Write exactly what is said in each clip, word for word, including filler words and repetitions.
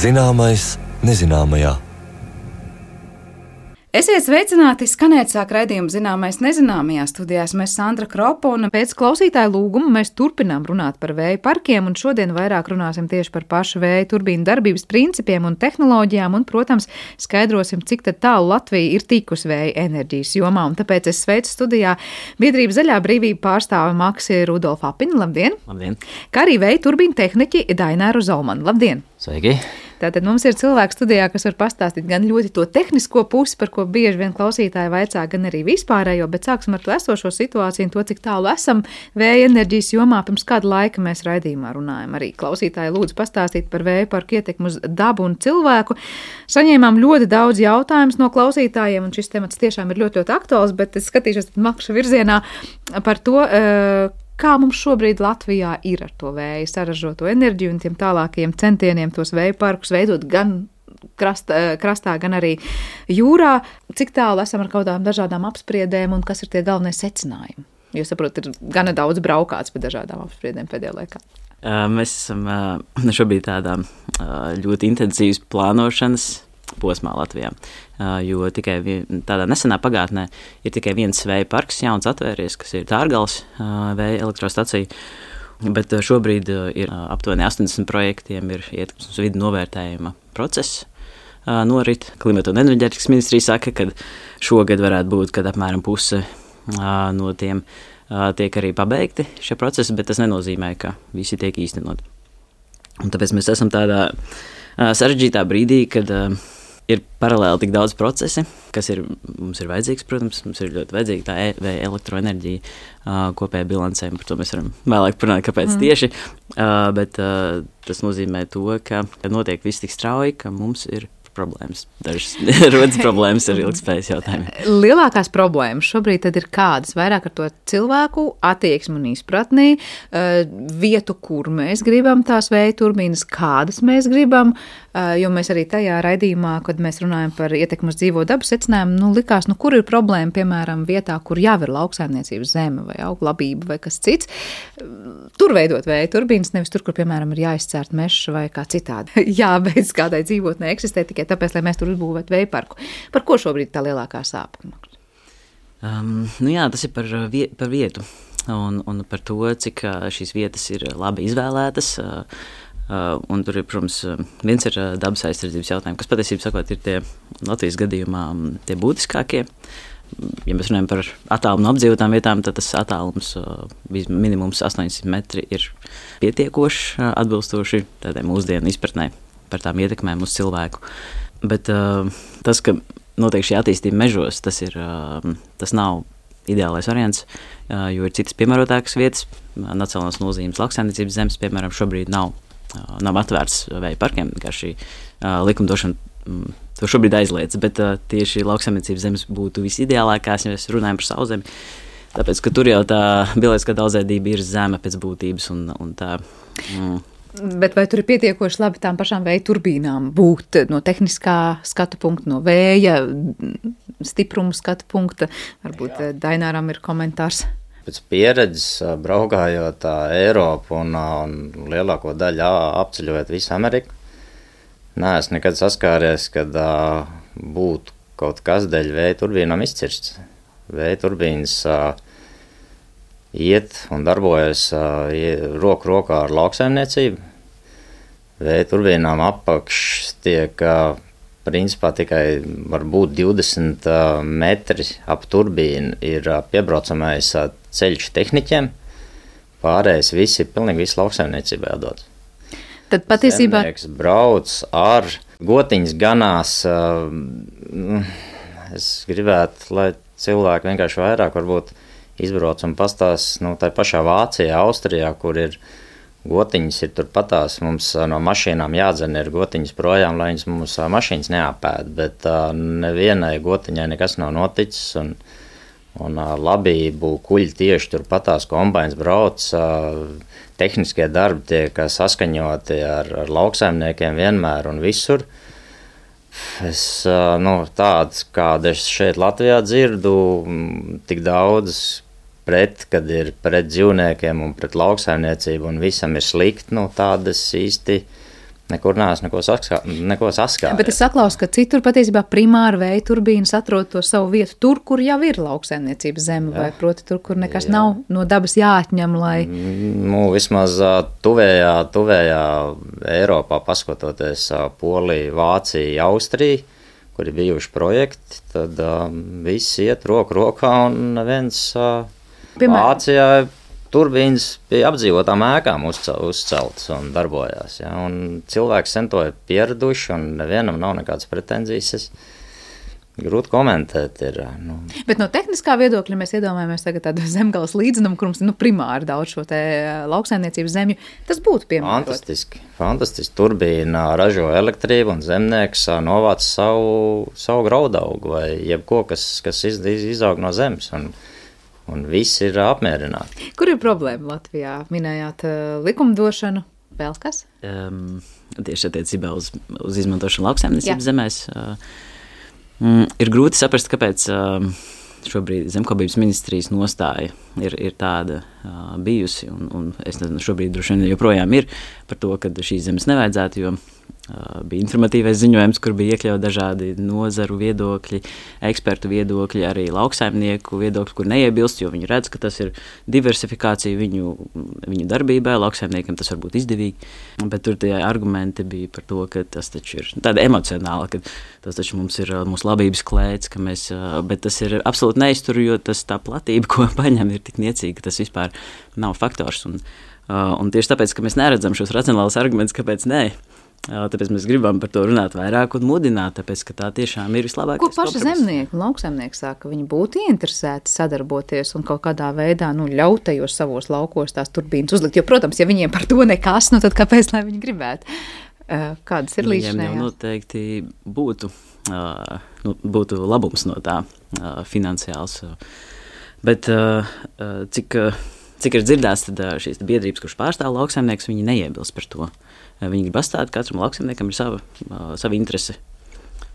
Zināmais nezināmajā. Esiet sveicināti, skanēt sāk raidījumu Zināmais nezināmajā. Studijās mēs Sandra Kropa, un pēc klausītāju lūguma mēs turpinām runāt par vēja parkiem, un šodien vairāk runāsim tieši par pašu vēja turbīnu darbības principiem un tehnoloģijām, un, protams, skaidrosim, cik tad tālu Latvija ir tikusi vēja enerģijas jomā. Un tāpēc es sveicu studijā biedrība Zaļā brīvība pārstāve Maksi Rudolfa Apini. Labdien! Labdien! Kā arī vēja turbīnu tehniķi Daināru Zolmanu. Labdien! Sveiki! Tātad mums ir cilvēki studijā, kas var pastāstīt gan ļoti to tehnisko pusi, par ko bieži vien klausītāji vaicā, gan arī vispārējo, bet sāksim ar to esošo situāciju un to, cik tālu esam vēja enerģijas jomā. Pirms kāda laika mēs raidījumā runājam. Arī klausītāji lūdzu pastāstīt par vēja parku ietekmi uz dabu un cilvēku. Saņēmām ļoti daudz jautājumus no klausītājiem, un šis temats tiešām ir ļoti, ļoti aktuāls, bet es skatīšos Makša virzienā par to, kā mums šobrīd Latvijā ir ar to vēja saražoto enerģiju un tiem tālākajiem centieniem tos vēja parkus veidot gan krastā, krastā, gan arī jūrā. Cik tālu esam ar kaut kādām dažādām apspriedēm un kas ir tie galvenie secinājumi? Jo, saprot, ir gana daudz braukāts pa dažādām apspriedēm pēdējā laikā. Mēs esam šobrīd tādā ļoti intensīvas plānošanas posmā Latvijā, jo tikai vien, tādā nesenā pagātnē ir tikai viens vēja parks jauns atvēries, kas ir Tārgales vēja elektrostacija, bet šobrīd ir aptuveni astoņdesmit projektiem, ir ietekmes uz vidi novērtējuma process norit. Klimata un enerģētikas ministrija saka, ka šogad varētu būt, kad apmēram puse no tiem tiek arī pabeigti šie procesi, bet tas nenozīmē, ka visi tiek īstenot. Un tāpēc mēs esam tādā sarežģītā brīdī, kad ir paralēli tik daudz procesi, kas ir, mums ir vajadzīgs, protams, mums ir ļoti vajadzīga tā e- vai elektroenerģija uh, kopējā bilancē, par to mēs varam vēlāk parunāt, kāpēc mm. tieši, uh, bet uh, tas nozīmē to, ka notiek viss tik strauji, ka mums ir problēmas. Dažas rodas problēmas ar ilgspējas jautājumiem. Lielākās problēmas šobrīd tad ir kādas? Vairāk ar to cilvēku attieksmi un izpratnī, vietu, kur mēs gribam tās vēja turbīnas, kādas mēs gribam, jo mēs arī tajā raidījumā, kad mēs runājam par ietekmi uz dzīvo dabu secinājumu, nu likās, nu kur ir problēma, piemēram, vietā, kur jau ir lauksaimniecības zeme vai auglabība vai kas cits, tur veidot vēja turbīnas, nevis tur, kur, piemēram, ir jāizcērt mežs vai kā citādi. Jābeidz kādai dzīvotnē eksistē tikai tāpēc, lai mēs tur uzbūvētu vēja parku. Par ko šobrīd tā lielākā sāpe? Um, nu jā, tas ir par, vie, par vietu un, un par to, cik šīs vietas ir labi izvēlētas. Uh, uh, un tur ir, protams, viens ir dabas aizsardzības jautājumi, kas patiesībā sakot ir tie Latvijas gadījumā tie būtiskākie. Ja mēs runājam par attālumu no apdzīvotām vietām, tad tas attālums uh, minimums astoņsimt metri ir pietiekoši uh, atbilstoši tādai mūsdienu izpratnē par tām ietekmēm uz cilvēku. Bet uh, tas, ka notiek šī attīstība mežos, tas, ir, uh, tas nav ideālais variants, uh, jo ir citas piemērotākas vietas. Nacionālās nozīmes lauksaimniecības zemes, piemēram, šobrīd nav, uh, nav atvērts vēja parkiem, kā šī uh, likumdošana um, to šobrīd aizliedz, bet uh, tieši lauksaimniecības zemes būtu visideālākās, ja mēs runājam par sauszemi, tāpēc, ka tur jau tā bioloģiskā daudzveidība ir zeme pēc būtības un, un tā... Mm, Bet vai tur ir pietiekoši labi tām pašām vēja turbīnām būt no tehniskā skatu punkta, no vēja stiprumu skatu punkta? Varbūt Jā. Daināram ir komentārs. Pēc pieredzes braukājot Eiropu un, un lielāko daļu apceļojot visu Ameriku, neesmu nekad saskāries, kad uh, būtu kaut kas dēļ vēja turbīnām izcirsts. Vēja turbīnas uh, iet un darbojas uh, roku rokā ar lauksaimniecību. Vēja turbīnām apakš tiek uh, principā tikai varbūt divdesmit uh, metri ap turbīnu ir uh, piebraucamais uh, ceļš tehniķiem. Pārējais visi ir pilnīgi visu lauksaimniecībai atdots. Tad patiesībā... Zemnieks brauc ar gotiņas ganās. Uh, es gribētu, lai cilvēki vienkārši vairāk varbūt izbrauc un pastāst, nu, tā pašā Vācijā, Austrijā, kur ir gotiņas, ir turpatās, mums no mašīnām jādzen ir gotiņas projām, lai viņas mums mašīnas neapēd, bet uh, nevienai gotiņai nekas nav noticis, un, un uh, labību kuļi tieši turpatās kombains brauc, uh, tehniskie darbi tiek saskaņoti ar, ar lauksaimniekiem vienmēr un visur. Es, nu, tāds, kāda es šeit Latvijā dzirdu, tik daudz pret, kad ir pret dzīvniekiem un pret lauksaimniecību un visam ir slikti, nu, tādas īsti Nekur neesmu neko, saskā, neko saskāries. Bet es saklausu, ka citur patiesībā primāra vēja turbīnas atrod to savu vietu tur, kur jau ir lauksaimniecības zeme, vai proti tur, kur nekas Jā. nav no dabas jāatņem, lai... Nu, vismaz tuvējā, tuvējā Eiropā, paskatoties Polija, Vācija, Austrija, kur ir bijuši projekti, tad uh, viss iet roku rokā un neviens uh, Vācijā turbīnas bija apdzīvotām ēkām uzceltas un darbojās. Ja, un cilvēki sen to ir pieraduši un nevienam nav nekādas pretenzijas. Es grūti komentēt. Ir, nu. Bet no tehniskā viedokļa mēs iedomājamies tagad tādu zemgales līdzenumu, kur mums ir nu, primāri daudz šo te lauksaimniecības zemju. Tas būtu piemērot. Fantastiski. Fantastiski. Turbīna ražo elektrību un zemnieks novāc savu, savu graudaugu vai jebko, kas, kas iz, izaug no zemes. Un, un viss ir apmierināti. Kur ir problēma Latvijā? Minējāt uh, likumdošanu, vēl kas? Um, tieši attiecībā uz, uz izmantošanu lauksaimniecības zemēs. Uh, mm, ir grūti saprast, kāpēc uh, šobrīd zemkopības ministrijas nostāja ir, ir tāda uh, bijusi, un, un es nezinu, šobrīd droši vien joprojām ir par to, ka šīs zemes nevajadzētu, jo Uh, bija informatīvais ziņojums, kur bija iekļaut dažādi nozaru viedokļi, ekspertu viedokļi, arī lauksaimnieku viedokļi, kur neiebilst, jo viņi redz, ka tas ir diversifikācija viņu, viņu darbībai, lauksaimniekam tas var būt izdevīgi, bet tur tie argumenti bija par to, ka tas taču ir tāda emocionāla, ka tas taču mums ir mūsu labības klēts, ka mēs, uh, bet tas ir absolūti neiztur, jo tas tā platība, ko paņem, ir tik niecīga, ka tas vispār nav faktors, un, uh, un tieši tāpēc, ka mēs neredzam šos racionālus argumentus, kāpēc nē, tāpēc mēs gribam par to runāt vairāk un mudināt, tāpēc, ka tā tiešām ir vislabākais kompromiss. Ko paši zemnieki un lauksaimnieki saka, ka viņi būtu ieinteresēti sadarboties un kaut kādā veidā nu, ļaut tajos savos laukos tās turbīnas uzlikt? Jo, protams, ja viņiem par to nekas, nu tad kāpēc, lai viņi gribētu? Kādas ir līdzinājās? Viņiem jau noteikti būtu, uh, nu, būtu labums no tā uh, finansiāls. Bet uh, cik, cik ir dzirdēts, tad šīs biedrības, kurš pārstāv lauksaimnieks, viņi neiebilst par to. Viņi grib atstāt, katram lauksaimniekam ir sava, uh, sava interese.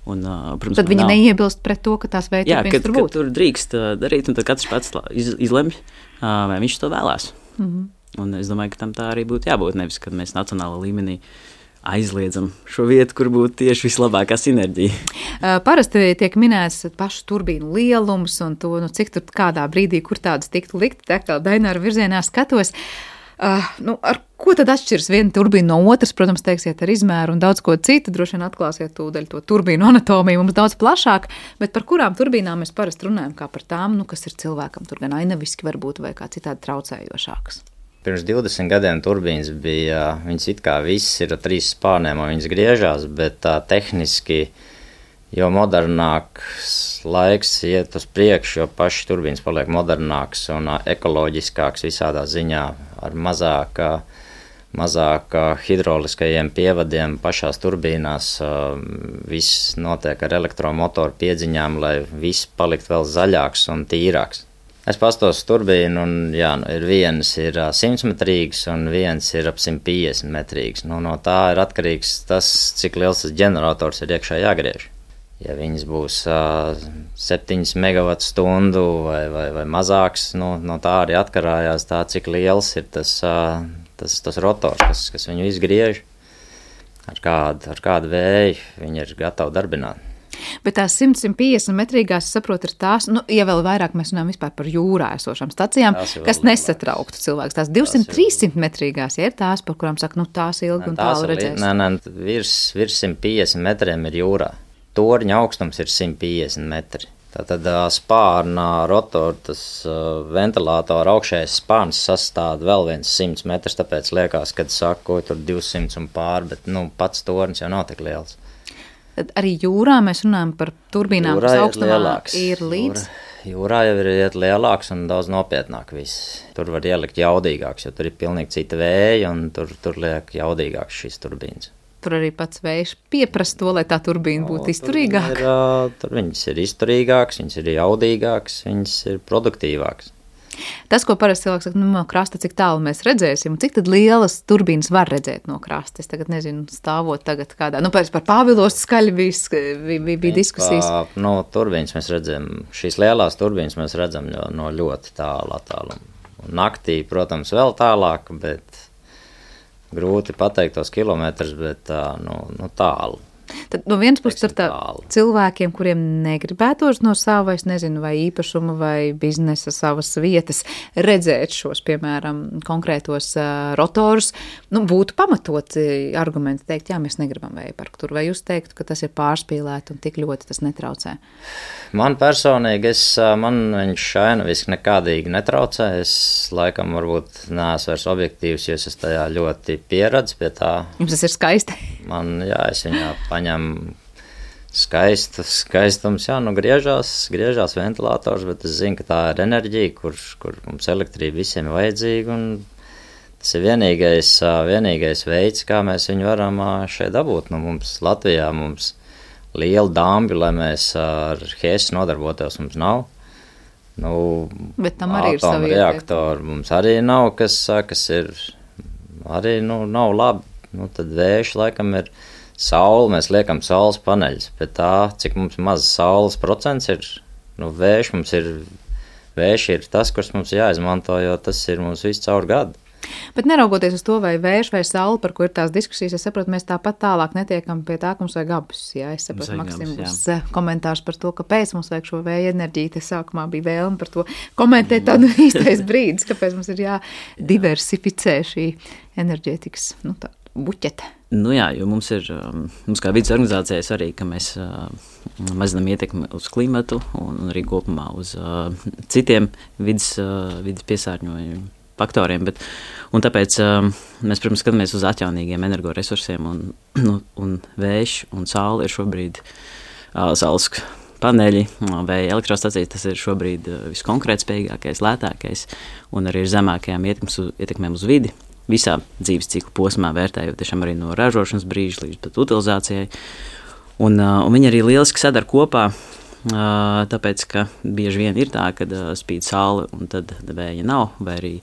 Un, uh, protams, tad viņi nav... neiebilst pret to, ka tās vērtības tur būtu? Jā, tur drīkst uh, darīt, un tad katrs pats iz, izlemj, uh, vai viņš to vēlās. Mm-hmm. Un es domāju, ka tam tā arī būtu jābūt, nevis, kad mēs nacionālā līmenī aizliedzam šo vietu, kur būtu tieši vislabākā sinerģija. Uh, parasti tiek minēts pašu turbīnu lielums un to, nu, cik tur kādā brīdī, kur tādas tiktu likt, tā kā Daināra virzienā skatos. Uh, nu, ar ko tad atšķiras viena turbīna no otras? Protams, teiksiet ar izmēru un daudz ko citu. Droši vien atklāsiet tūdaļ to turbīnu anatomiju mums daudz plašāk, bet par kurām turbīnām mēs parasti runājam, kā par tām, nu, kas ir cilvēkam tur gan ainaviski varbūt vai kā citādi traucējošākas. Pirms divdesmit gadiem turbīnas bija, viņas it kā viss ir ar trīs spārniem un viņas griežās, bet tā tehniski, jo modernāks laiks iet uz priekšu, jo paši turbīnas paliek modernāks un ekoloģiskāks visādā ziņā ar mazāk, mazāk hidroliskajiem pievadiem pašās turbīnās. Viss notiek ar elektromotoru piedziņām, lai viss palikt vēl zaļāks un tīrāks. Es pastos turbīnu un jā, ir viens ir simtmetrīgs un viens ir ap simt piecdesmit metrīgs. Nu, no tā ir atkarīgs tas, cik liels tas ģenerators ir iekšā jāgriež. Ja viņas būs uh, septiņas megavatu stundu vai, vai, vai mazāks, nu, no tā arī atkarājās tā, cik liels ir tas, uh, tas, tas rotors, kas, kas viņu izgriež, ar kādu, ar kādu vēju viņi ir gatavi darbināt. Bet tās simt piecdesmit metrīgās, es saprotu, ir tās, nu, ja vēl vairāk mēs runājam vispār par jūrā esošām stacijām, kas nesatrauktu cilvēks. Tās divsimt trīssimt metrīgās, ja ir tās, par kurām saka, nu, tās ilgi un tālu redzēs. Nē, nē, virs, virs simt piecdesmit metriem ir jūrā. Torņa augstums ir simt piecdesmit metri. Tātad spārna rotora, tas ventilātora augšējais spārns sastāv vēl viens simts metrus, tāpēc liekas, kad saka, ko tur divsimt un pār, bet nu, pats tornis jau nav tik liels. Tad arī jūrā mēs runājam par turbīnām, jūrā kas augstumā lielāks. Ir līdz? Jūrā, jūrā jau ir iet lielāks un daudz nopietnāk viss. Tur var ielikt jaudīgāks, jo tur ir pilnīgi cita vēja un tur, tur liek jaudīgāks šīs turbīnas. Tur arī pats vējš pieprasa to, lai tā turbīna būtu izturīgāka. Tur, ir, tur viņas ir izturīgākas, viņas ir jaudīgākas, viņas ir produktīvākas. Tas, ko parasti cilvēks saka, nu, no krasta, cik tālu mēs redzēsim, cik tad lielas turbīnas var redzēt no krasta? Es tagad nezinu, stāvot tagad kādā, nu, par Pāvilostu skaļi bija, bija, bija diskusijas. Pa, no turbīnas mēs redzam, šīs lielās turbīnas mēs redzam no ļoti tālu attālumu. Naktī, protams, vēl tālāk, bet grūti pateikt tos kilometrus, bet tā, nu, nu tālu. Tad no vienas puses ir tā cilvēkiem, kuriem negribētos no sava, es nezinu, vai īpašuma vai biznesa savas vietas redzēt šos, piemēram, konkrētos uh, rotorus, nu, būtu pamatoti argumenti teikt, jā, mēs negribam vēja parku tur, vai jūs teiktu, ka tas ir pārspīlēti un tik ļoti tas netraucē? Man personīgi, es, man viņš šainaviski nekādīgi netraucē, es laikam varbūt neesmu vairs objektīvs, jo es esmu tajā ļoti pieradis pie tā. Jums tas ir skaisti? Man, jā, es viņā paņem skaistu, skaistums, jā, nu griežās, griežās ventilators, bet es zinu, ka tā ir enerģija, kur, kur mums elektrība visiem ir vajadzīga, un tas ir vienīgais, vienīgais veids, kā mēs viņu varam šeit dabūt. Nu, mums Latvijā mums liela dambi, lai mēs ar hēsu nodarbotos, mums nav. Nu, bet tam arī ir savi reaktori mums arī nav, kas, kas ir arī, nu, nav labi. Nu, tad vējš laikam ir saule, mēs liekam saules paneļus, bet tā, cik mums maz saules procents ir, nu, vējš mums ir, vējš ir tas, kurš mums jāizmanto, jo tas ir mums viss caur gadu. Bet neraugoties uz to, vai vējš vai saule, par ko ir tās diskusijas, es saprotu, mēs tāpat tālāk netiekam pie tā, ka mums vajag abus. Jā, es saprotu, Maksim, būs komentārs par to, kāpēc mums vajag šo vēja enerģiju. Te sākumā bija vēlme par to komentēt tādu īstais brīdis, kāpēc mums ir jādiversificē šī enerģētikas, nu, tā buķete. Nu jā, jo mums ir, mums kā vidas organizācijai svarīgi, ka mēs mazinām ietekmi uz klimatu un arī kopumā uz citiem vidas, vidas piesārņojumu faktoriem, bet, un tāpēc um, mēs, protams, skatāmies uz atjaunīgiem energoresursiem, un, nu, un vējš un saule ir šobrīd uh, saules paneļi, vēja elektrostacijas, tas ir šobrīd uh, viskonkrētspējīgākais, lētākais, un arī ir zemākajām ietekmēm uz vidi, visā dzīves cikla posmā vērtējot tiešām arī no ražošanas brīža līdz pat utilizācijai, un, uh, un viņi arī lieliski sadar kopā, uh, tāpēc, ka bieži vien ir tā, kad uh, spīd saule, un tad vēja nav, vai arī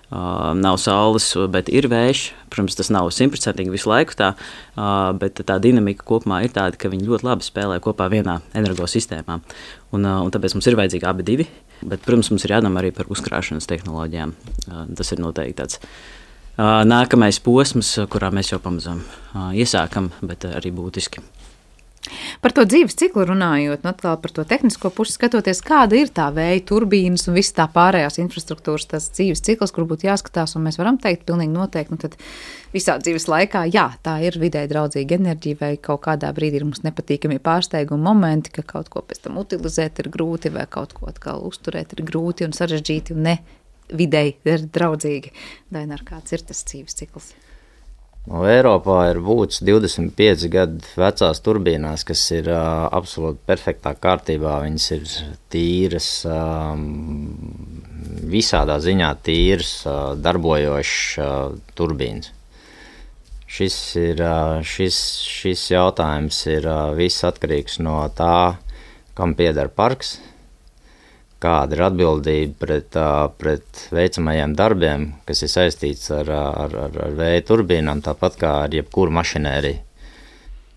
Uh, nav saules, bet ir vējš. Protams, tas nav simtprocentīgi visu laiku tā, uh, bet tā dinamika kopumā ir tāda, ka viņi ļoti labi spēlē kopā vienā energosistēmā. Un, uh, un tāpēc mums ir vajadzīgi abi divi, bet, protams, mums ir jādomā arī par uzkrāšanas tehnoloģijām. Uh, tas ir noteikti tāds uh, nākamais posms, kurā mēs jau pamazām uh, iesākam, bet uh, arī būtiski. Par to dzīves ciklu runājot, un atkal par to tehnisko pusi skatoties, kāda ir tā vēja turbīnas un viss tā pārējās infrastruktūras, tas dzīves cikls, kur būtu jāskatās, un mēs varam teikt pilnīgi noteikti, nu tad visā dzīves laikā, jā, tā ir vidē draudzīga enerģija, vai kaut kādā brīdī ir mums nepatīkami pārsteigumi momenti, ka kaut ko pēc tam utilizēt ir grūti, vai kaut ko atkal uzturēt ir grūti un sarežģīti un ne videi ir draudzīgi. Dainar, kāds ir tas dzīves cikls? No Eiropā ir būts divdesmit pieci gadu vecās turbīnās, kas ir uh, absolūti perfektā kārtībā. Viņas ir tīras, um, visādā ziņā tīras, uh, darbojošas uh, turbīnas. Šis, ir, uh, šis, šis jautājums ir uh, viss atkarīgs no tā, kam pieder parks, kāda ir atbildība pret, pret veicamajiem darbiem, kas ir saistīts ar, ar, ar, ar vēja turbīnām, tāpat kā ar jebkuru mašinēriju.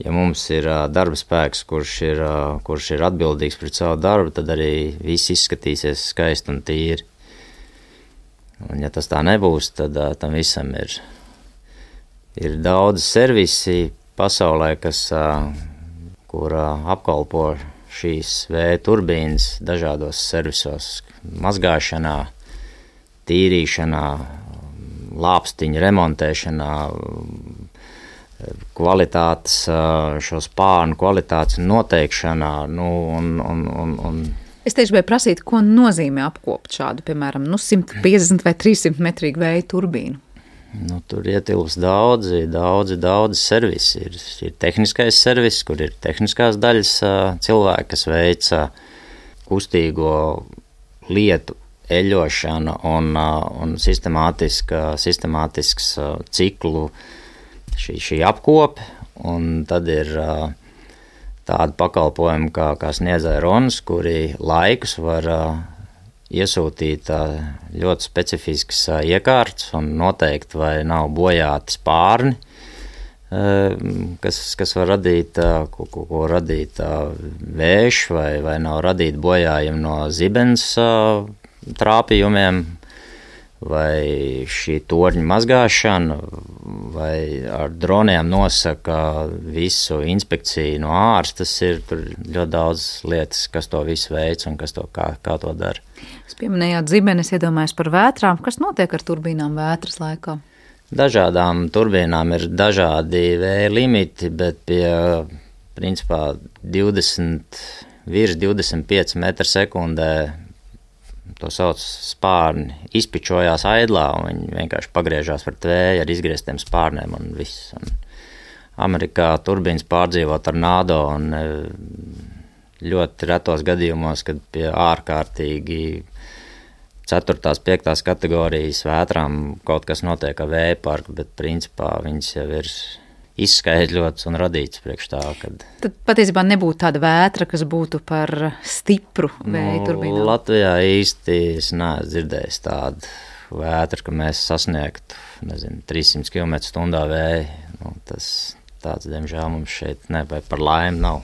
Ja mums ir darba spēks, kurš ir, kurš ir atbildīgs pret savu darbu, tad arī viss izskatīsies skaisti un tīri. Un ja tas tā nebūs, tad tam visam ir, ir daudz servisi pasaulē, kas, kur apkalpo šīs vēja turbīnas dažādos servisos, mazgāšanā, tīrīšanā, lāpstiņu remontēšanā, kvalitātes, šo spārnu kvalitātes noteikšanā, nu, un, un, un, un Es tieši biju prasīt, ko nozīmē apkopt šādu, piemēram, nu, simt piecdesmit vai trīssimt metrīgu vēja turbīnu. Nu, tur ietilps daudzi, daudzi, daudzi servisi. Ir, ir tehniskais servis, kur ir tehniskās daļas cilvēki, kas veica kustīgo lietu eļošanu un, un sistemātiska, sistemātisks ciklu šī, šī apkope. Un tad ir tādi pakalpojumi, kā, kā sniedzēja Ronas, kuri laikus var iesūtīt ļoti specifiskas iekārtas un noteikt, vai nav bojāti spārni, kas, kas var radīt, ko, ko, ko radīt vējš, vai, vai nav radīt bojājumi no zibens trāpījumiem, vai šī torņa mazgāšana, vai ar droniem nosaka visu inspekciju no ārsta. Tas ir tur ļoti daudz lietas, kas to visu veic un kas to, kā, kā to dara. Jūs pieminējāt zibenes, iedomājos par vētrām. Kas notiek ar turbīnām vētras laikā? Dažādām turbīnām ir dažādi vēja limiti, bet pie principā divdesmit, virs divdesmit pieci metri sekundē to sauc spārni, izpičojās aidlā, un viņi vienkārši pagriežās par tvēju ar izgrieztiem spārniem un viss. Un Amerikā turbīnas pārdzīvo tornado, un ļoti retos gadījumos, kad pie ārkārtīgi ceturtās, piektās kategorijas vētrām kaut kas notiek ar vēja parku, bet principā viņas jau ir izskaidļots un radīts priekš tā, kad... Tad patiesībā nebūtu tāda vētra, kas būtu par stipru vēja nu, turbīnām. Latvijā īsti es neesmu dzirdējis tādu vētru, ka mēs sasniegtu, nezinu, trīssimts kilometru stundā vēju. Nu, tas tāds, diemžēl, mums šeit ne, vai par laimi nav.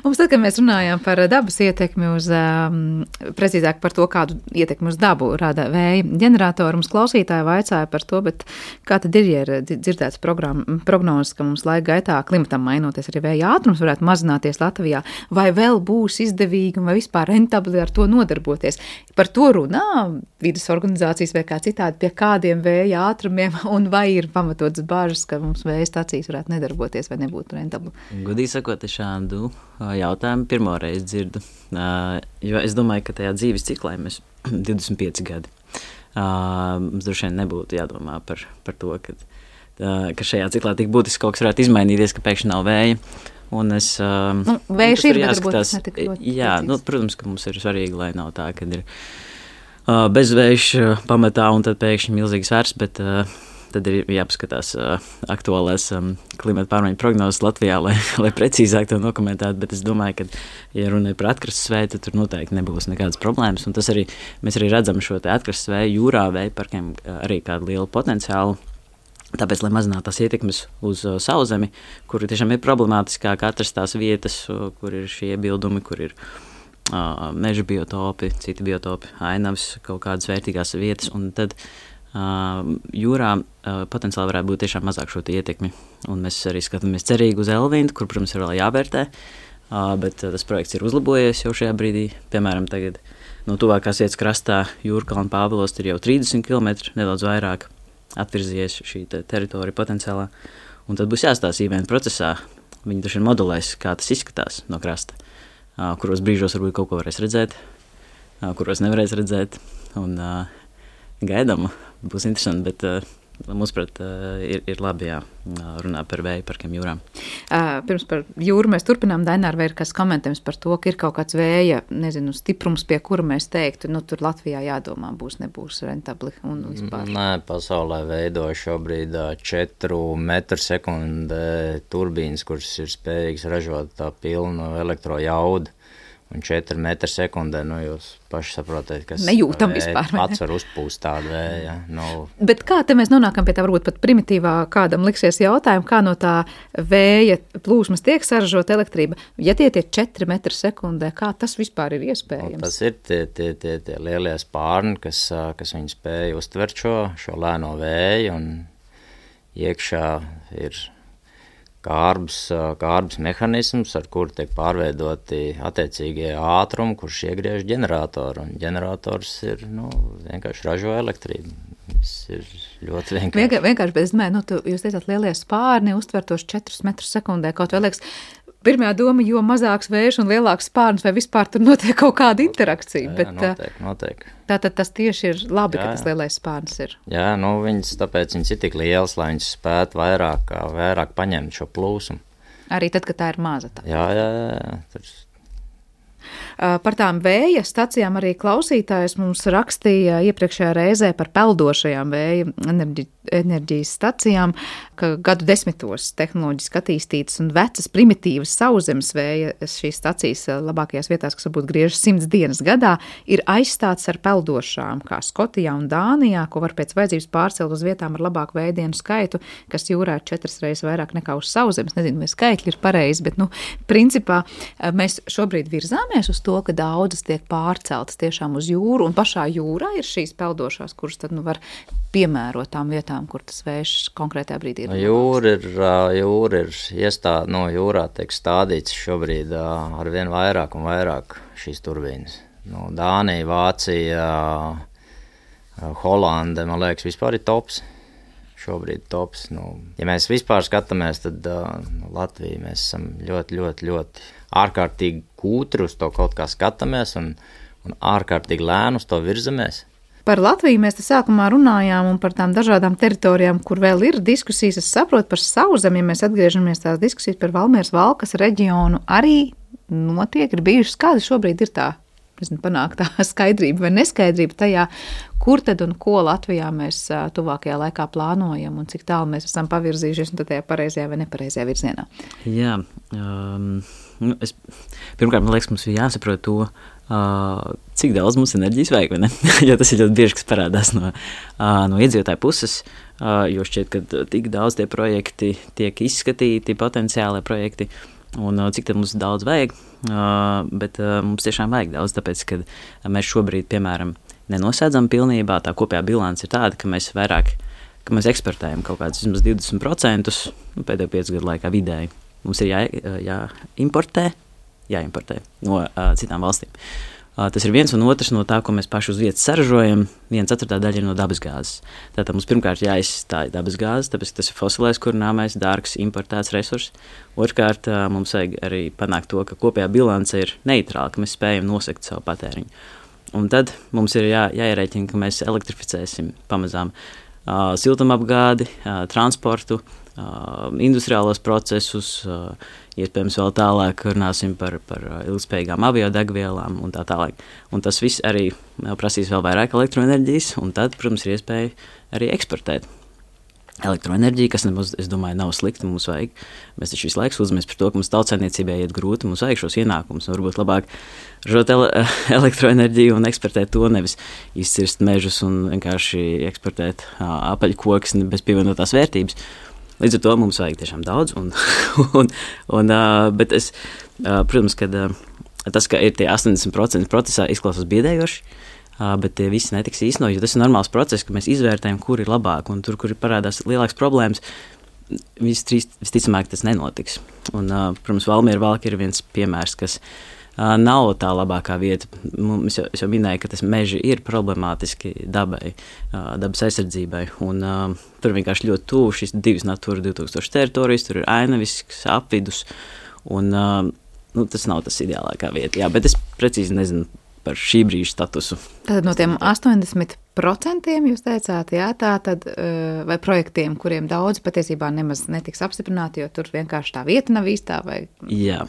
Mums tad, kad mēs runājām par dabas ietekmi uz, um, precīzāk par to, kādu ietekmi uz dabu rada vēja ģeneratoru, mums klausītāji vaicāja par to, bet kā tad ir, ja ir dzirdēts prognozes, ka mums laika gaitā klimatam mainoties arī vēja ātrums varētu mazināties Latvijā, vai vēl būs izdevīgi un vai vispār rentabli ar to nodarboties? Par to runā vides organizācijas vai kā citādi pie kādiem vēja ātrumiem, un vai ir pamatotas bāžas, ka mums vēja stacijas varētu nedarboties vai nebūtu rentabli? Godīgi sakot, es šādu jautājumu pirmo reizi dzirdu, jo es domāju, ka tajā dzīves ciklā mēs divdesmit pieci gadi. Mums droši vien nebūtu jādomā par, par to, ka, ka šajā ciklā tik būtiski kaut kas varētu izmainīties, ka pēkšņi nav vēja. Un es, nu, vējš ir, bet varbūt tas netik ļoti jā, nu, protams, ka mums ir svarīgi, lai nav tā, kad ir bezvējš pamatā un tad pēkšņi milzīgs vērs, bet tad ir jāpaskatās aktuālās klimata pārmaiņu prognozes Latvijā, lai, lai precīzāk to dokumentētu, bet es domāju, ka, ja runa ir par atkrastes vēju, tad tur noteikti nebūs nekādas problēmas, un tas arī, mēs arī redzam šo te atkrastes vēju jūrā vēju parkiem arī kādu lielu potenciālu. Tāpēc, lai mazinātu tās ietekmes uz uh, sauszemi, kur tiešām ir problemātiskāk atrast tās vietas, uh, kur ir šie iebildumi, kur ir uh, meža biotopi, citi biotopi, ainavas, kaut kādas vērtīgās vietas, un tad uh, jūrā uh, potenciāli varētu būt tiešām mazāk šo ietekmi. Un mēs arī skatāmies cerīgi uz Elvindu, kur, protams, ir vēl jāvērtē, uh, bet uh, tas projekts ir uzlabojies jau šajā brīdī. Piemēram, tagad no tuvākās vietas krastā Jūrkalna Pāvilos ir jau trīsdesmit kilometri, nedaudz vairāk atvirzies šī te teritorija potenciālā, un tad būs jāstāsta īvēna procesā. Viņi taču modelēs, kā tas izskatās no krasta, kuros brīžos varbūt kaut ko varēs redzēt, kuros nevarēs redzēt, un gaidām, būs interesanti, bet mūsuprāt, ir, ir labi jā, runā par vēju parkiem jūrām. Pirms par jūru mēs turpinām, Daināra, vai ir kas komentējums par to, ka ir kaut kāds vēja, nezinu, stiprums, pie kura mēs teiktu, nu tur Latvijā jādomā, būs, nebūs rentabli un vispār. Nē, pasaulē veido šobrīd četru metru sekundē turbīnas, kuras ir spējīgas ražot tā pilnu elektrojaudu. Un četri metri sekundē, nu jūs paši saprotat, kas nejūtam vispār, pats var uzpūst tādu vēju. Nu. Bet kā te mēs nonākam pie tā varbūt pat primitīvā kādam liksies jautājumu, kā no tā vēja plūsmas tiek saražot elektrība? Ja tie tie četri metri sekundē, kā tas vispār ir iespējams? Nu, tas ir tie, tie, tie, tie lielie spārni, kas, kas viņi spēja uztvert šo, šo lēno vēju, un iekšā ir kārbs, kārbs mehanisms, ar kuru tiek pārveidoti attiecīgie ātrumi, kurš iegriež ģeneratoru, un ģenerators ir, nu, vienkārši ražo elektrību. Tas ir ļoti vienkārši. Vienkār, vienkārši, bet es domāju, nu, tu, jūs teicāt lielie spārni, uztvertos četrus metrus sekundē, kaut vai liekas, pirmā doma, jo mazāks vējš un lielāks spārns, vai vispār tur notiek kaut kāda interakcija. Jā, bet, notiek, notiek. Tātad tas tieši ir labi, jā, ka tas lielais spārns ir. Jā, nu viņas, tāpēc viņas ir tik liels, lai viņas spētu vairāk, vairāk paņemt šo plūsumu. Arī tad, kad tā ir maza tā. Jā, jā, jā. Tur... Par tām vēja stacijām arī klausītājs mums rakstīja iepriekšējā reizē par peldošajām vēja enerģi, enerģijas stacijām, ka gadu desmitos tehnoloģiski attīstītas un vecas primitīvas sauszemes vēja šīs stacijas labākajās vietās, kas varbūt griežas simts dienas gadā, ir aizstāts ar peldošām, kā Skotijā un Dānijā, ko var pēc vajadzības pārcelt uz vietām ar labāku vējdienu skaitu, kas jūrā ir četras reizes vairāk nekā uz sauszemes. Nezinu, vai skaitļi ir pareizi, bet, nu, principā mēs šobrīd virzāmies skatāmies uz to, ka daudzas tiek pārceltas tiešām uz jūru, un pašā jūrā ir šīs peldošās, kuras tad nu var piemērot tām vietām, kur tas vējš konkrētajā brīdī ir? Jūra ir, jūra ir iestāde, no jūrā tiek stādīts šobrīd ar vien vairāk un vairāk šīs turbīnas. No Dānija, Vācija, Holande, man liekas, vispār ir tops. Šobrīd tops. Nu, ja mēs vispār skatāmies, tad uh, Latvija mēs esam ļoti, ļoti, ļoti ārkārtīgi kūtri uz to kaut kā skatāmies un, un ārkārtīgi lēni uz to virzamies. Par Latviju mēs te sākumā runājām un par tām dažādām teritorijām, kur vēl ir diskusijas. Es saprotu par Sauszemi, ja mēs atgriežamies tās diskusijas par Valmieras Valkas reģionu, arī notiek, ir bijušas, kāda šobrīd ir tā, nezinu, panākt tā skaidrība vai neskaidrība tajā, kur tad un ko Latvijā mēs tuvākajā laikā plānojam un cik tālu mēs esam pavirzījušies un tad tajā pareizajā vai nepareizajā virzienā. Jā, um, es, pirmkārt, man liekas, mums ir jāsaprot to, uh, cik daudz mums enerģijas vajag, vai ne? Jo tas ir ļoti bieži, kas parādās no, uh, no iedzīvotāju puses, uh, jo šķiet, ka tik daudz tie projekti tiek izskatīti, potenciālie projekti, un uh, cik tad mums daudz vajag, uh, bet uh, mums tiešām vajag daudz, tāpēc, ka mēs šobrīd, piemēram, nenosēdzam pilnībā, tā kopējā bilance ir tāda, ka mēs vairāk, ka mēs eksportējam kaut kādus vismaz divdesmit procentus nu, pēdējo piecu gadu laikā vidēji. Mums ir jā, jāimportē, jāimportē no uh, citām valstīm. Uh, tas ir viens un otrs no tā, ko mēs paši uz vietas saražojam, viena ceturtā daļa ir no dabasgāzes. Tātad mums pirmkārt jāizstāja dabasgāzes, tāpēc tas ir fosilais kurināmais, dārgs, importēts resurs. Otrkārt, uh, mums vajag arī panākt to, ka kopējā bilance ir neitrāla, ka mēs spējam nosekt savu patēriņu. Un tad mums ir jā, jāierēķina, ka mēs elektrificēsim pamazām uh, siltumapgādi, uh, transportu, uh, industriālos procesus, uh, iespējams vēl tālāk runāsim par, par ilgspējīgām aviodegvielām un tā tālāk. Un tas viss arī prasīs vēl vairāk elektroenerģijas, un tad, protams, ir iespēja arī eksportēt elektroenerģiju, kas nemaz, es domāju, nav slikti, mums vajag. Mēs taču visu laiku sūdzamies par to, ka mums tautsēmniecībai iet grūti, mums vajag šos ienākumus, un varbūt labāk ražot ele elektroenerģiju un eksportēt to, nevis izcirst mežus un vienkārši eksportēt apaļkokus bez pievienotās vērtības. Līdz ar to mums vajag tiešām daudz, un, un, un, bet es, protams, ka tas, ka ir tie astoņdesmit procenti procesā, izklausās biedējoši, bet tie visi netiks īstenot, jo tas ir normāls process, ka mēs izvērtējam, kur ir labāk, un tur, kur ir parādās lielāks problēmas, visticamāk tas nenotiks. Un, protams, Valmiera Valka ir viens piemērs, kas nav tā labākā vieta. Es jau, es jau minēju, ka tas meži ir problemātiski dabai, dabas aizsardzībai, un tur vienkārši ļoti tuvu šīs divas Natūra divi tūkstoši teritorijas, tur ir Ainavisks, apvidus, un nu, tas nav tas ideālākā vieta. Jā, bet es precīzi nezinu par šī brīža statusu. Tātad no tiem astoņdesmit procentiem jūs teicāt, jā, tā tad, vai projektiem, kuriem daudz patiesībā nemaz netiks apstiprināti, jo tur vienkārši tā vieta nav īstā, vai jā.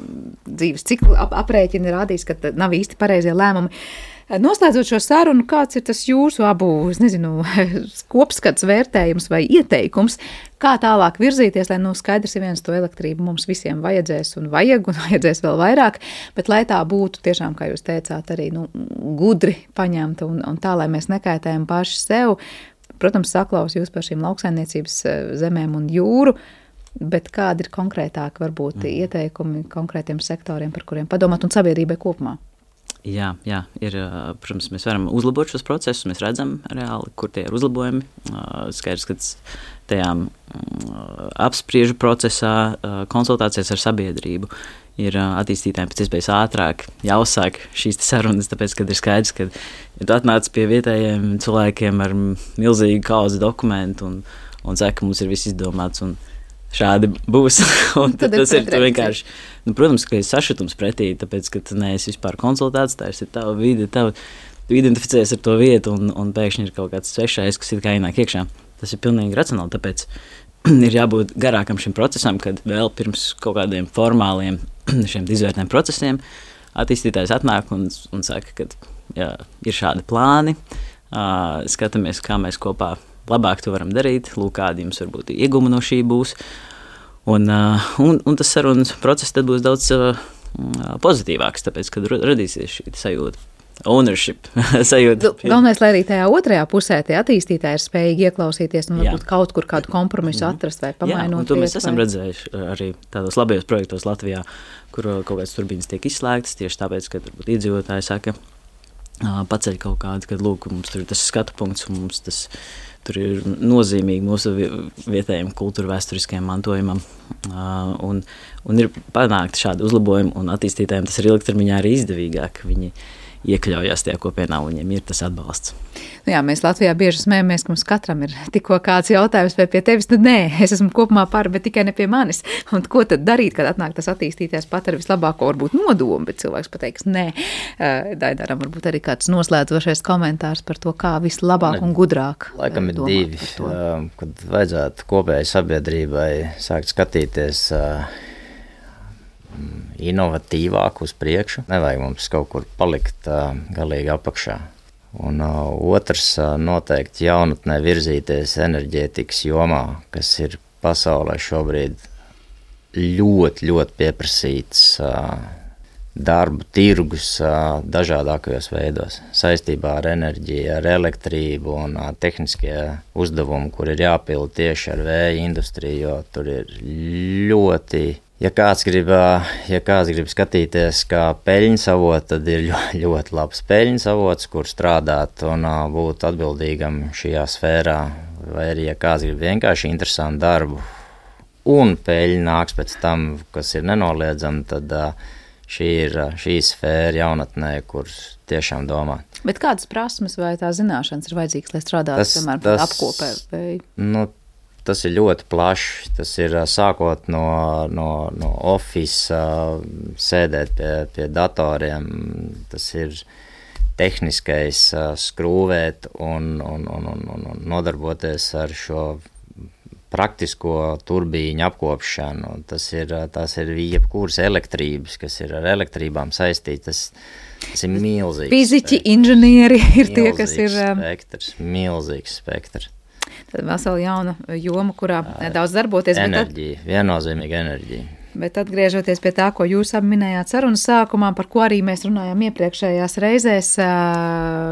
Dzīves cikla ap, aprēķini rādīs, ka nav īsti pareizie lēmumi. Noslēdzot šo sarunu, kāds ir tas jūsu abu, es nezinu, kopskats, vērtējums vai ieteikums, kā tālāk virzīties, lai nu skaidrs ir viens to elektrību mums visiem vajadzēs un vajag un vajadzēs vēl vairāk, bet lai tā būtu tiešām, kā jūs teicāt, arī nu, gudri paņemta un, un tā, lai mēs nekaitējam paši sev. Protams, saklaus jūs par šīm lauksaimniecības zemēm un jūru, bet kādi ir konkrētāki varbūt mm. ieteikumi konkrētiem sektoriem, par kuriem padomāt un sabiedrībai kopumā? Jā, jā, ir, protams, mēs varam uzlabot šos procesus, mēs redzam reāli, kur tie ir uzlabojumi. Skaidrs, ka tajām apspriežu procesā, konsultācijas ar sabiedrību ir attīstītājiem pēc iespējas ātrāk jāuzsāk šīs sarunas, tāpēc, kad ir skaidrs, ka ja tu atnāc pie vietējiem cilvēkiem ar milzīgu kauzi dokumentu un, un saka, ka mums ir viss izdomāts un šādi būs. Un tad tas ir vienkārši, nu, protams, ka ir sašutums pretī, tāpēc, ka tu neesi vispār konsultēts, tā ir tava vide, tava, tu identificējies ar to vietu un, un pēkšņi ir kaut kāds svešais, kas ir kā ienāk iekšā. Tas ir pilnīgi racionāli, tāpēc ir jābūt garākam šim procesam, kad vēl pirms kaut kādiem formāliem šiem izvērtējiem procesiem attīstītājs atnāk un, un saka, ka jā, ir šādi plāni, uh, skatāmies, kā mēs kopā labāk to varam darīt, lūk, kādi jums varbūt iegūmi no šī būs. Un, uh, un, un tas sarunas process tad būs daudz uh, pozitīvāks, tāpēc, kad radīsies šī sajūta, ownership sajūta. Galvenais, lai arī tajā otrajā pusē tie attīstītāji ir spējīgi ieklausīties un varbūt kaut kur kādu kompromisu atrast vai pamainot. Jā, un to mēs esam vai... redzējuši arī tādos labajos projektos Latvijā, kur kaut kādas turbīnas tiek izslēgtas tieši tāpēc, ka varbūt iedzīvotāji saka, paceļ kaut kādu, kad lūk, mums tur ir tas skatu punkts un mums tas tur ir nozīmīgi mūsu vietējiem kultūra vēsturiskajam mantojumam. Uh, un, un ir panākti šādi uzlabojumi, un attīstītājiem tas ir ilgtermiņā arī izdevīgāk. Viņi iekļaujās tajā kopienā, un viņiem ir tas atbalsts. Nu jā, mēs Latvijā bieži smējamies, ka mums katram ir tikko kāds jautājums, vai pie tevis, nu nē, es esmu kopumā par, bet tikai ne pie manis. Un ko tad darīt, kad atnāk tas attīstītājs pat ar vislabāko varbūt nodomu, bet cilvēks pateiks nē. Daidaram varbūt arī kāds noslēdzošais komentārs par to, kā vislabāk un gudrāk. Laikam ir divi, kad vajadzētu kopēji sabiedrībai sākt skatīties inovatīvāk uz priekšu. Nevajag mums kaut kur palikt uh, galīgi apakšā. Un uh, otrs uh, noteikti jaunatnē virzīties enerģētikas jomā, kas ir pasaulē šobrīd ļoti, ļoti pieprasīts uh, darbu tirgus uh, dažādākajos veidos. Saistībā ar enerģiju, ar elektrību un uh, tehniskie uzdevumi, kur ir jāpilda tieši ar vēja industriju, jo tur ir ļoti... Ja kāds grib, ja kāds grib skatīties kā peļņas avots, tad ir ļoti, ļoti labs peļņas avots, kur strādāt un būt atbildīgam šajā sfērā. Vai arī, ja kāds grib vienkārši interesantu darbu un peļņa nāks pēc tam, kas ir nenoliedzami, tad šī ir šī sfēra jaunatnē, kur tiešām domā. Bet kādas prasmes vai tā zināšanas ir vajadzīgas, lai strādātu, piemēram, pie apkopē? Vai... Nu, tas ir ļoti plašs, tas ir sākot no, no, no office, sēdēt pie, pie datoriem, tas ir tehniskais skrūvēt un, un, un, un, un nodarboties ar šo praktisko turbīņu apkopšanu. Tas ir, tas ir jebkuras elektrības, kas ir ar elektrībām saistītas. Tas ir milzīgs. Fiziķi, inženieri ir tie, kas ir... Spektrs, milzīgs spektrs. Tad vesela jauna joma, kurā daudz darboties. Enerģija, tad, viennozīmīga enerģija. Bet atgriežoties pie tā, ko jūs minējāt sarunas sākumā, par ko arī mēs runājām iepriekšējās reizēs,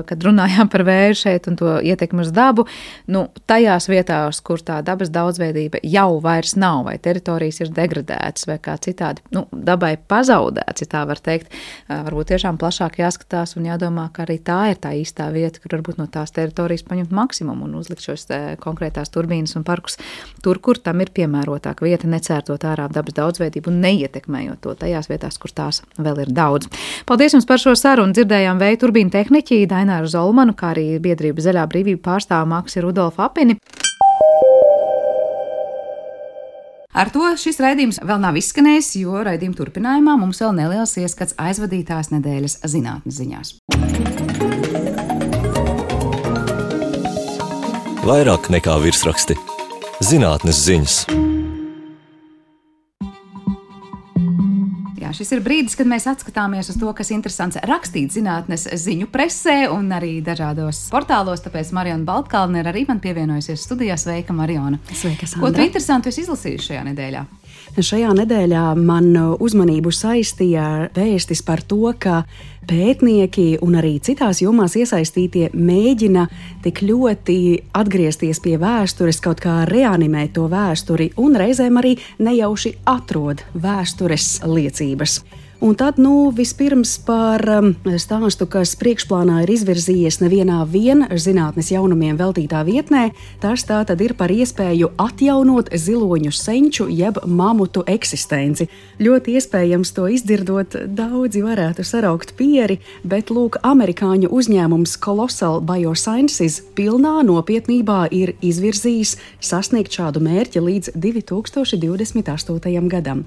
kad runājām par vēju šeit un to ietekmi uz dabu, nu, tajās vietās, kur tā dabas daudzveidība jau vairs nav, vai teritorijas ir degradētas, vai kā citādi, nu, dabai pazaudēts, ja tā var teikt, varbūt tiešām plašāk jāskatās un jādomā, ka arī tā ir tā īstā vieta, kur varbūt no tās teritorijas paņemt maksimumu un uzlikt šos konkrētās turbīnas un parkus tur, kur tam ir piemērotāk vieta, necērtot ārā dabas daudzveidību un neietekmējot to tajās vietās, kur tās vēl ir daudz. Paldies jums par šo sarunu. Dzirdējām vēja turbīnu tehniķi Daināru Zolmanu, kā arī biedrība Zaļā brīvība pārstāvu Maksi Rudolfu Apini. Ar to šis raidījums vēl nav izskanējis, jo raidījuma turpinājumā mums vēl neliels ieskats aizvadītās nedēļas zinātnes ziņās. Vairāk nekā virsraksti. Zinātnes ziņas. Jā, šis ir brīdis, kad mēs atskatāmies uz to, kas interesants rakstīt zinātnes ziņu presē un arī dažādos portālos, tāpēc Mariona Baltkalne ir arī man pievienojusies studijā. Sveika, Mariona! Sveika, Sandra! Ko tu interesantu esi izlasījusi šajā nedēļā? Šajā nedēļā man uzmanību saistīja vēstis par to, ka pētnieki un arī citās jomās iesaistītie mēģina tik ļoti atgriezties pie vēstures, kaut kā reanimēt to vēsturi un reizēm arī nejauši atrod vēstures liecības. Un tad, nu, vispirms par stāstu, kas priekšplānā ir izvirzījies nevienā vien zinātnes jaunumiem veltītā vietnē, tas tā tad ir par iespēju atjaunot ziloņu senču jeb mamutu eksistenci. Ļoti iespējams to izdzirdot, daudzi varētu saraukt pieri, bet, lūk, amerikāņu uzņēmums Colossal Biosciences pilnā nopietnībā ir izvirzījis sasniegt šādu mērķi līdz divi tūkstoši divdesmit astotajam gadam.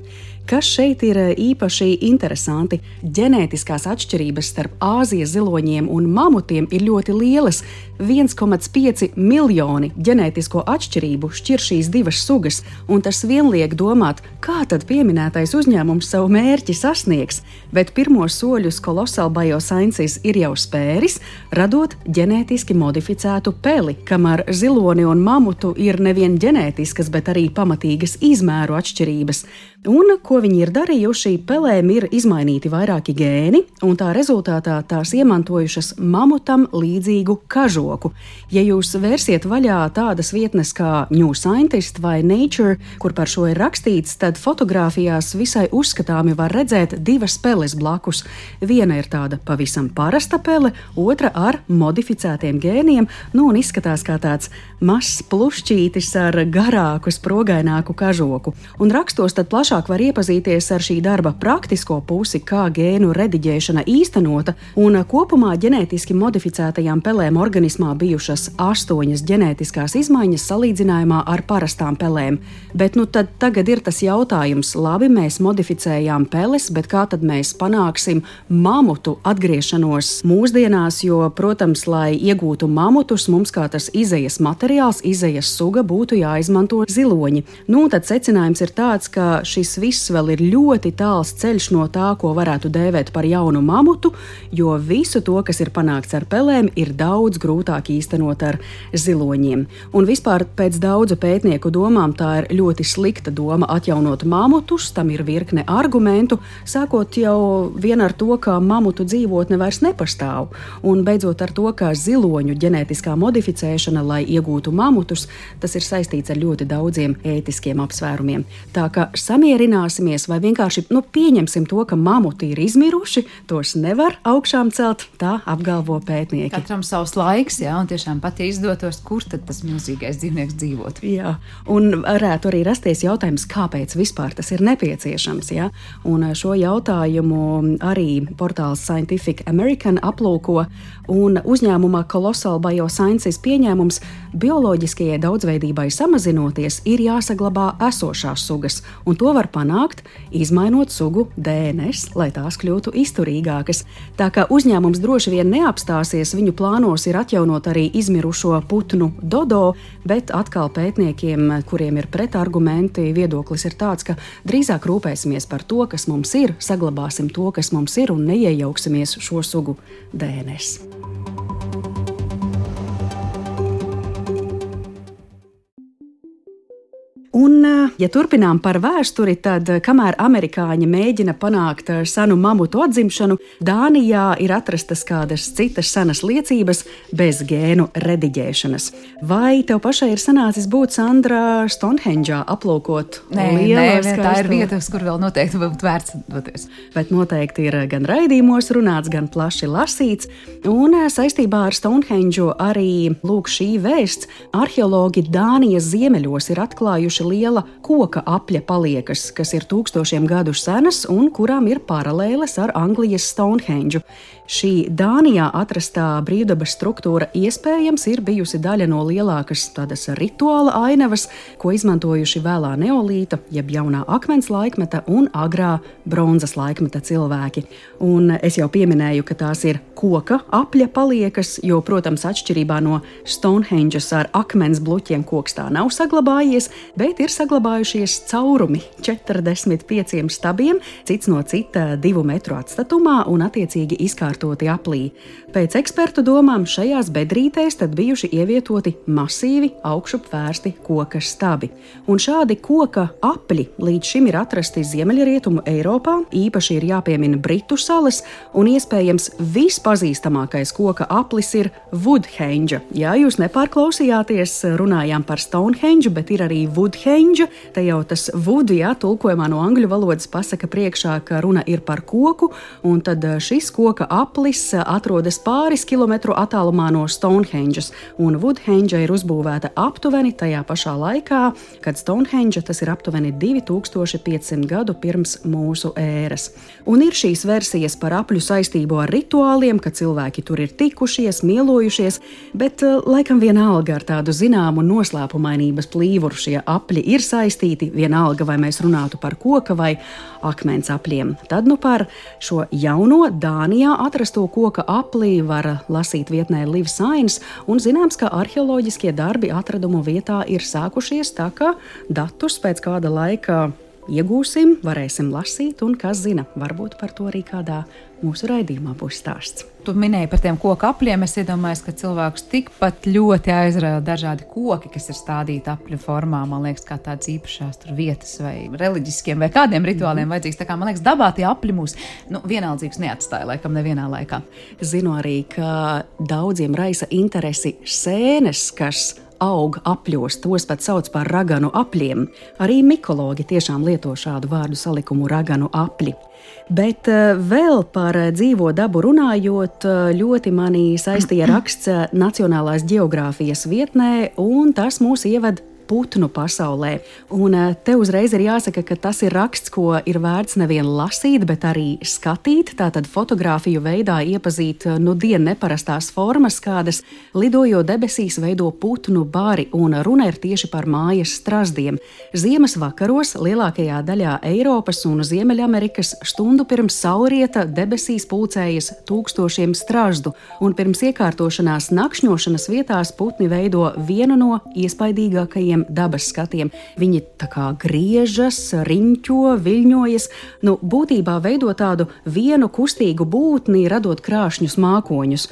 Kas šeit ir īpaši interesanti? Ģenētiskās atšķirības starp Āzijas ziloņiem un mamutiem ir ļoti lielas. viens komats pieci miljoni ģenētisko atšķirību šķir šīs divas sugas, un tas vien liek domāt, kā tad pieminētais uzņēmums savu mērķi sasniegs, bet pirmos soļus Colossal Biosciences ir jau spēris, radot ģenētiski modificētu peli, kamēr ziloni un mamutu ir nevien ģenētiskas, bet arī pamatīgas izmēru atšķirības. Un, ko viņi ir darījuši, pelēm ir izmainīti vairāki gēni, un tā rezultātā tās iemantojušas mamutam līdzīgu kažoku. Ja jūs vērsiet vaļā tādas vietnes kā New Scientist vai Nature, kur par šo ir rakstīts, tad fotogrāfijās visai uzskatāmi var redzēt divas peles blakus. Viena ir tāda pavisam parasta pele, otra ar modificētiem gēniem, nu un izskatās kā tāds mazs plušķītis ar garāku, sprogaināku kažoku. Un rakstos tad plašāk var iepazīties ar šī darba praktisko pusi, kā gēnu rediģēšana īstenota, un kopumā ģenētiski modificētajām pelēm organismā bijušas astoņas ģenētiskās izmaiņas salīdzinājumā ar parastām pelēm. Bet nu tad tagad ir tas jautājums, labi, mēs modificējām peles, bet kā tad mēs panāksim mamutu atgriešanos mūsdienās, jo, protams, lai iegūtu mamutus, mums kā tas izejas materiāls, izejas suga būtu jāizmanto ziloņi. Nu, tad secinājums ir tāds, ka šis viss vēl ir ļoti tāls ceļš no tā, ko varētu dēvēt par jaunu mamutu, jo visu to, kas ir panākts ar pelēm, ir daudz grūtāk īstenot ar ziloņiem. Un vispār pēc daudzu pētnieku domām tā ir ļoti slikta doma atjaunot mamutus, tam ir virkne argumentu, sākot jau vien ar to, ka mamutu dzīvotne vairs nepastāv, un beidzot ar to, ka ziloņu ģenētiskā modificēšana, lai iegūtu mamutus, tas ir saistīts ar ļoti daudziem ētiskiem apsvērumiem. Tā ka samierināsimies vai vienkārši nu, pieņemsim to, ka mamuti ir izmiruši, tos nevar augšām celt, tā apgalvo pētnieki. Katram savs laiks, jā, un tiešām pat ja izdotos, kur tad tas milzīgais dzīvnieks dzīvot. Jā, un varētu arī rasties jautājums, kāpēc vispār tas ir nepieciešams, jā. Un šo jautājumu arī portāls Scientific American aplūko, un uzņēmumā Colossal Biosciences pieņēmums bioloģiskajai daudzveidībai samazinoties ir jāsaglabā esošās sugas, un to var panākt, izmainot sugu D N S, lai tās kļūtu izturīgākas. Tā kā uzņēmums droši vien neapstāsies, viņu plānos ir atjaunot arī izmirušo putnu dodo, bet atkal pētniekiem, kuriem ir pretargumenti, viedoklis ir tāds, ka drīzāk rūpēsimies par to, kas mums ir, saglabāsim to, kas mums ir, un neiejauksimies šo sugu D N S. Un, ja turpinām par vēsturi, tad, kamēr amerikāņi mēģina panākt senu mamutu atzimšanu, Dānijā ir atrastas kādas citas senas liecības bez gēnu rediģēšanas. Vai tev pašai ir sanācis būt, Sandra, Stonehendžā aplūkot nē, lielo nē, skaisto? Tā ir vieta, uz kur vēl noteikti būtu vērts doties. Bet noteikti ir gan raidījumos runāts, gan plaši lasīts. Un saistībā ar Stonehendžu arī lūk šī vēsts. Arheologi Dānijas ziemeļos ir atklājuši liela koka apļa paliekas, kas ir tūkstošiem gadu senas un kurām ir paralēles ar Anglijas Stonehendžu. Šī Dānijā atrastā brīvdabas struktūra iespējams ir bijusi daļa no lielākas tādas rituāla ainavas, ko izmantojuši vēlā neolīta, jeb jaunā akmens laikmeta un agrā bronzas laikmeta cilvēki. Un es jau pieminēju, ka tās ir koka apļa paliekas, jo, protams, atšķirībā no Stonehendžas ar akmens bluķiem koks tā nav saglabājies, bet ir saglabājušies caurumi četrdesmit pieciem stabiem, cits no cita divu metru atstatumā un attiecīgi izkārtoti aplī. Pēc ekspertu domām šajās bedrītēs tad bijuši ievietoti masīvi augšup vērsti koka stabi. Un šādi koka apļi līdz šim ir atrasti Ziemeļrietumu Eiropā, īpaši ir jāpiemina Britu salas, un iespējams vispazīstamākais koka aplis ir Woodhenge. Jā, jūs nepārklausījāties, runājām par Stonehenge, bet ir arī Woodhenge. Te jau tas wood, jā, tulkojumā no angļu valodas pasaka priekšā, ka runa ir par koku, un tad šis koka aplis atrodas pāris kilometru attālumā no Stonehenges, un Woodhenge ir uzbūvēta aptuveni tajā pašā laikā, kad Stonehenge tas ir aptuveni divi tūkstoši piecsimt gadu pirms mūsu ēras. Un ir šīs versijas par apļu saistību ar rituāliem, ka cilvēki tur ir tikušies, mielojušies, bet laikam vienalga ar tādu zināmu noslēpumainības plīvuru šie apļi ir saistīti, vienalga vai mēs runātu par koka vai akmens apļiem. Tad nu par šo jauno Dānijā atrasto koka aplī var lasīt vietnē Live Science, un zināms, ka arheoloģiskie darbi atradumu vietā ir sākušies, tā ka datus pēc kāda laika iegūsim, varēsim lasīt, un kas zina, varbūt par to arī kādā mūsu raidījumā būs stāsts. Tu minēji par tiem koku apļiem. Es iedomājos, ka cilvēks tikpat ļoti aizrauja dažādi koki, kas ir stādīti apļu formā. Man liekas, kā tādas īpašās tur vietas vai reliģiskiem vai kādiem rituāliem mm. vajadzīgs. Tā kā man liekas, dabā tie apļi mūs nu, vienaldzīgs neatstāja laikam nevienā laikā. Zinu arī, ka daudziem raisa interesi sēnes, kas aug apļos, tos pat sauc par raganu apļiem. Arī mikologi tiešām lieto šādu vārdu salikumu raganu apļi. Bet vēl par dzīvo dabu runājot, ļoti mani saistīja raksts Nacionālās ģeogrāfijas vietnē, un tas mūs ieved putnu pasaulē. Un te uzreiz ir jāsaka, ka tas ir raksts, ko ir vērts nevien lasīt, bet arī skatīt, tātad fotogrāfiju veidā iepazīt nu dien neparastās formas, kādas lidojot debesīs veido putnu bari, un runa ir tieši par mājas strazdiem. Ziemas vakaros lielākajā daļā Eiropas un Ziemeļamerikas stundu pirms saulrieta debesīs pulcējas tūkstošiem strazdu, un pirms iekārtošanās nakšņošanas vietās putni veido vienu no iespaidīgākajiem dabas skatiem. Viņi tā kā griežas, riņķo, viļņojas, nu būtībā veido tādu vienu kustīgu būtni, radot krāšņus mākoņus.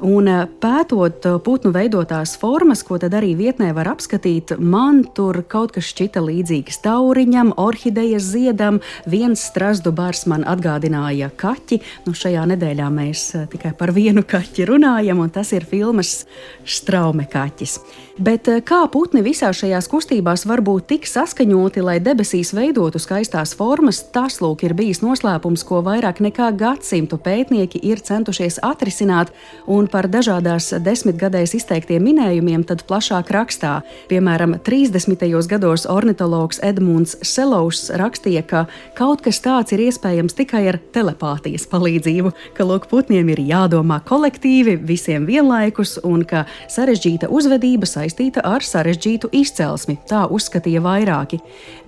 Un pētot putnu veidotās formas, ko tad arī vietnē var apskatīt, man tur kaut kas šķita līdzīgs tauriņam, orhidejas ziedam, viens strazdu bars man atgādināja kaķi. Nu, šajā nedēļā mēs tikai par vienu kaķi runājam, un tas ir filmas Straume kaķis. Bet kā putni visā šajās kustībās var būt tik saskaņoti, lai debesīs veidotu skaistās formas, tas lūk ir bijis noslēpums, ko vairāk nekā gadsimtu pētnieki ir centušies atrisināt, un par dažādās desmitgadēs izteiktiem minējumiem tad plašāk rakstā. Piemēram, trīsdesmitajos gados ornitologs Edmunds Selows rakstīja, ka kaut kas tāds ir iespējams tikai ar telepātijas palīdzību, ka lūk putniem ir jādomā kolektīvi, visiem vienlaikus, un ka sarežģīta uzvedība saistīta ar sarežģītu izcelsmi. Tā uzskatīja vairāki.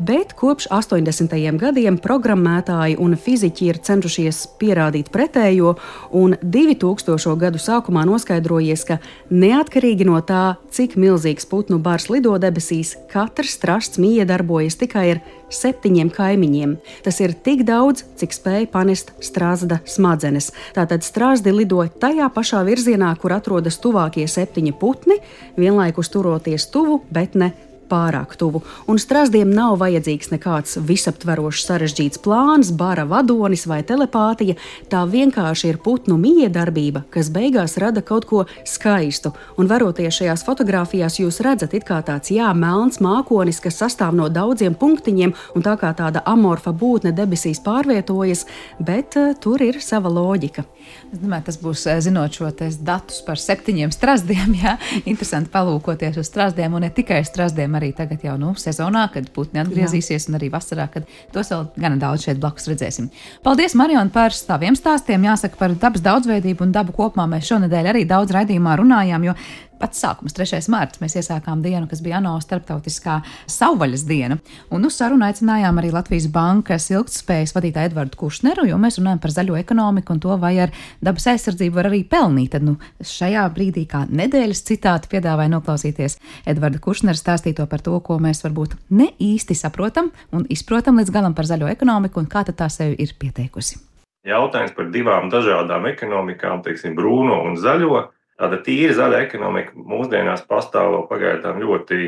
Bet kopš astoņdesmitajiem gadiem programmētāji un fiziķi ir cenšušies pierādīt pretējo, un divi tūkstošo gadu sākumā noskaidrojies, ka neatkarīgi no tā, cik milzīgs putnu bars lido debesīs, katrs strasts miedarbojas tikai ar septiņiem kaimiņiem. Tas ir tik daudz, cik spēj panest strazda smadzenes. Tātad strazdi lido tajā pašā virzienā, kur atrodas tuvākie septiņi putni, vienlaikus turoties tuvu, bet ne pārāk tuvu. Un strazdiem nav vajadzīgs nekāds visaptverošs sarežģīts plāns, bara vadonis vai telepātija. Tā vienkārši ir putnu miedarbība, kas beigās rada kaut ko skaistu. Un varoties šajās fotogrāfijās, jūs redzat it kā tāds jā, melns mākonis, kas sastāv no daudziem punktiņiem, un tā kā tāda amorfa būtne debesīs pārvietojas, bet uh, tur ir sava loģika. Es domāju, tas būs, zinot šo datus par septiņiem strazdiem, jā, interesanti palūkoties uz strazdiem, un ne tikai strazdiem, arī tagad jau nu, sezonā, kad putni atgriezīsies, jā. Un arī vasarā, kad tos vēl gana daudz šeit blakus redzēsim. Paldies, Mariona, par taviem stāstiem. Jāsaka, par dabas daudzveidību un dabu kopumā mēs šonedēļ arī daudz raidījumā runājām, jo pats sākums, trešais mārts, mēs iesākām dienu, kas bija ANO starptautiskā savvaļas diena. Un uz sarunu aicinājām arī Latvijas bankas ilgtspējas vadītāju Edvardu Kušneru, jo mēs runājam par zaļo ekonomiku un to, vai ar dabas aizsardzību var arī pelnīt. Tad nu, šajā brīdī kā nedēļas citāti piedāvāja noklausīties Edvarda Kušnera stāstīto par to, ko mēs varbūt ne īsti saprotam un izprotam līdz galam par zaļo ekonomiku un kā tad tā sevi ir pieteikusi. Jautājums par divām dažādām ekonomikām, teiksim, brūno un zaļo. Tāda tīra zaļa ekonomika mūsdienās pastāv pagaidām ļoti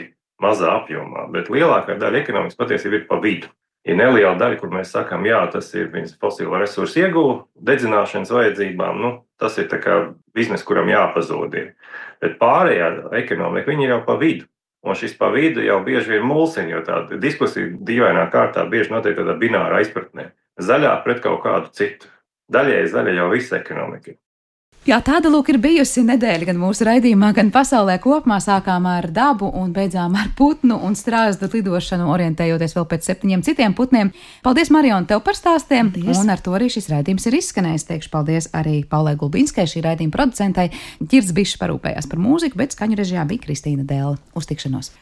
mazā apjomā, bet lielākā daļa ekonomikas patiesībā ir pa vidu. Ir neliela daļa, kur mēs sakām, jā, tas ir viņas fosilo resursu ieguve, dedzināšanas vajadzībām, nu, tas ir tā kā bizness, kuram jāpazūd ir. Bet pārējā ekonomika, viņi ir jau pa vidu. Un šis pa vidu jau bieži vien mulsiņ, jo tāda diskusija dīvainā kārtā bieži notiek tādā bināra aizpratnē. Zaļā pret kaut kādu citu. Daļēji zaļa jau visa ekonomika. Jā, tāda lūk ir bijusi nedēļa gan mūsu raidījumā, gan pasaulē kopumā. Sākām ar dabu un beidzām ar putnu un strazdu lidošanu, orientējoties vēl pēc septiņiem citiem putniem. Paldies, Mariona, tev par stāstiem. Paldies. Un ar to arī šis raidījums ir izskanējis. Teikšu paldies arī Paulai Gulbinskai, šī raidījuma producentai. Ģirds Bišs parūpējās par mūziku, bet skaņu režijā bija Kristīna Dēle. Uz tikšanos!